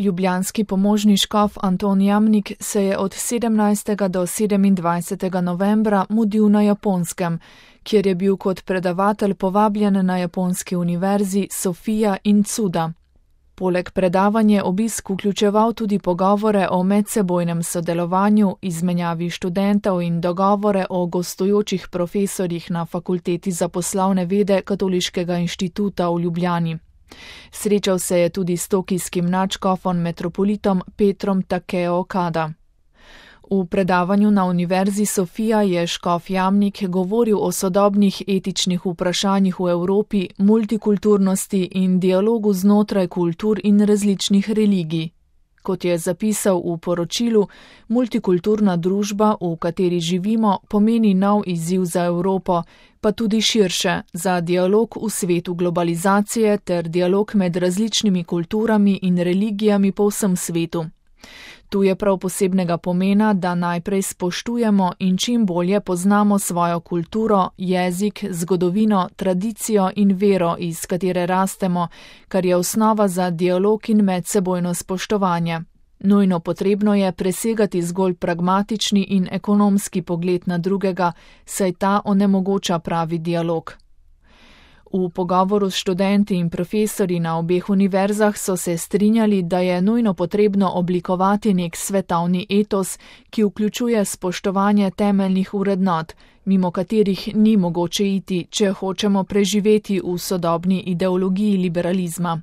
Ljubljanski pomožni škof Anton Jamnik se je od 17. do 27. novembra mudil na Japonskem, kjer je bil kot predavatelj povabljen na japonski univerzi Sofija in Tsuda. Poleg predavanja obisk vključeval tudi pogovore o medsebojnem sodelovanju, izmenjavi študentov in dogovore o gostujočih profesorjih na Fakulteti za poslovne vede Katoliškega inštituta v Ljubljani. Srečal se je tudi s tokijskim nadškofom metropolitom Petrom Takeo Okada. V predavanju na Univerzi Sofija je škof Jamnik govoril o sodobnih etičnih vprašanjih v Evropi, multikulturnosti in dialogu znotraj kultur in različnih religij. Kot je zapisal v poročilu, multikulturna družba, v kateri živimo, pomeni nov izziv za Evropo, pa tudi širše, za dialog v svetu globalizacije ter dialog med različnimi kulturami in religijami po vsem svetu. Tu je prav posebnega pomena, da najprej spoštujemo in čim bolje poznamo svojo kulturo, jezik, zgodovino, tradicijo in vero, iz katere rastemo, kar je osnova za dialog in medsebojno spoštovanje. Nujno potrebno je presegati zgolj pragmatični in ekonomski pogled na drugega, saj ta onemogoča pravi dialog. V pogovoru s študenti in profesorji na obeh univerzah so se strinjali, da je nujno potrebno oblikovati nek svetovni etos, ki vključuje spoštovanje temeljnih vrednot, mimo katerih ni mogoče iti, če hočemo preživeti v sodobni ideologiji liberalizma.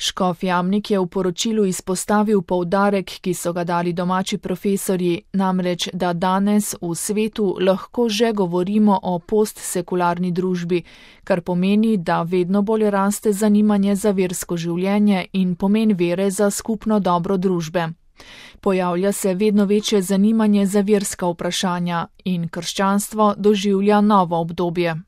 Škof Jamnik je v poročilu izpostavil poudarek, ki so ga dali domači profesorji, namreč, da danes v svetu lahko že govorimo o postsekularni družbi, kar pomeni, da vedno bolj raste zanimanje za versko življenje in pomen vere za skupno dobro družbe. Pojavlja se vedno večje zanimanje za verska vprašanja in krščanstvo doživlja novo obdobje.